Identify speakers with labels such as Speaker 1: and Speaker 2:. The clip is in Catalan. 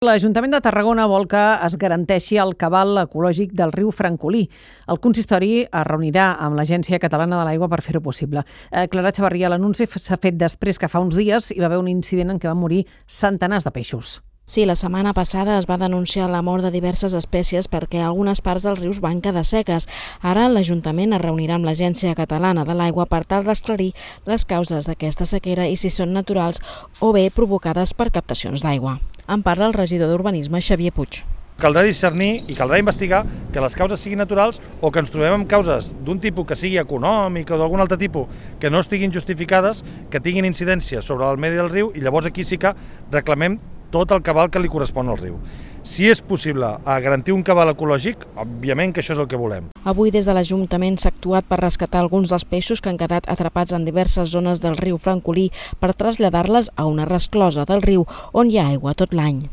Speaker 1: L'Ajuntament de Tarragona vol que es garanteixi el cabal ecològic del riu Francolí. El consistori es reunirà amb l'Agència Catalana de l'Aigua per fer-ho possible. Clara Chavarria, l'anunci s'ha fet després que fa uns dies hi va haver un incident en què van morir centenars de peixos.
Speaker 2: Sí, la setmana passada es va denunciar la mort de diverses espècies perquè algunes parts dels rius van quedar seques. Ara l'Ajuntament es reunirà amb l'Agència Catalana de l'Aigua per tal d'esclarir les causes d'aquesta sequera i si són naturals o bé provocades per captacions d'aigua. En parla el regidor d'Urbanisme, Xavier Puig.
Speaker 3: Caldrà discernir i caldrà investigar que les causes siguin naturals o que ens trobem amb causes d'un tipus que sigui econòmic o d'algun altre tipus que no estiguin justificades, que tinguin incidència sobre el medi del riu i llavors aquí sí que reclamem tot el cabal que li correspon al riu. Si és possible garantir un cabal ecològic, òbviament que això és el que volem.
Speaker 2: Avui des de l'Ajuntament s'ha actuat per rescatar alguns dels peixos que han quedat atrapats en diverses zones del riu Francolí per traslladar-les a una resclosa del riu on hi ha aigua tot l'any.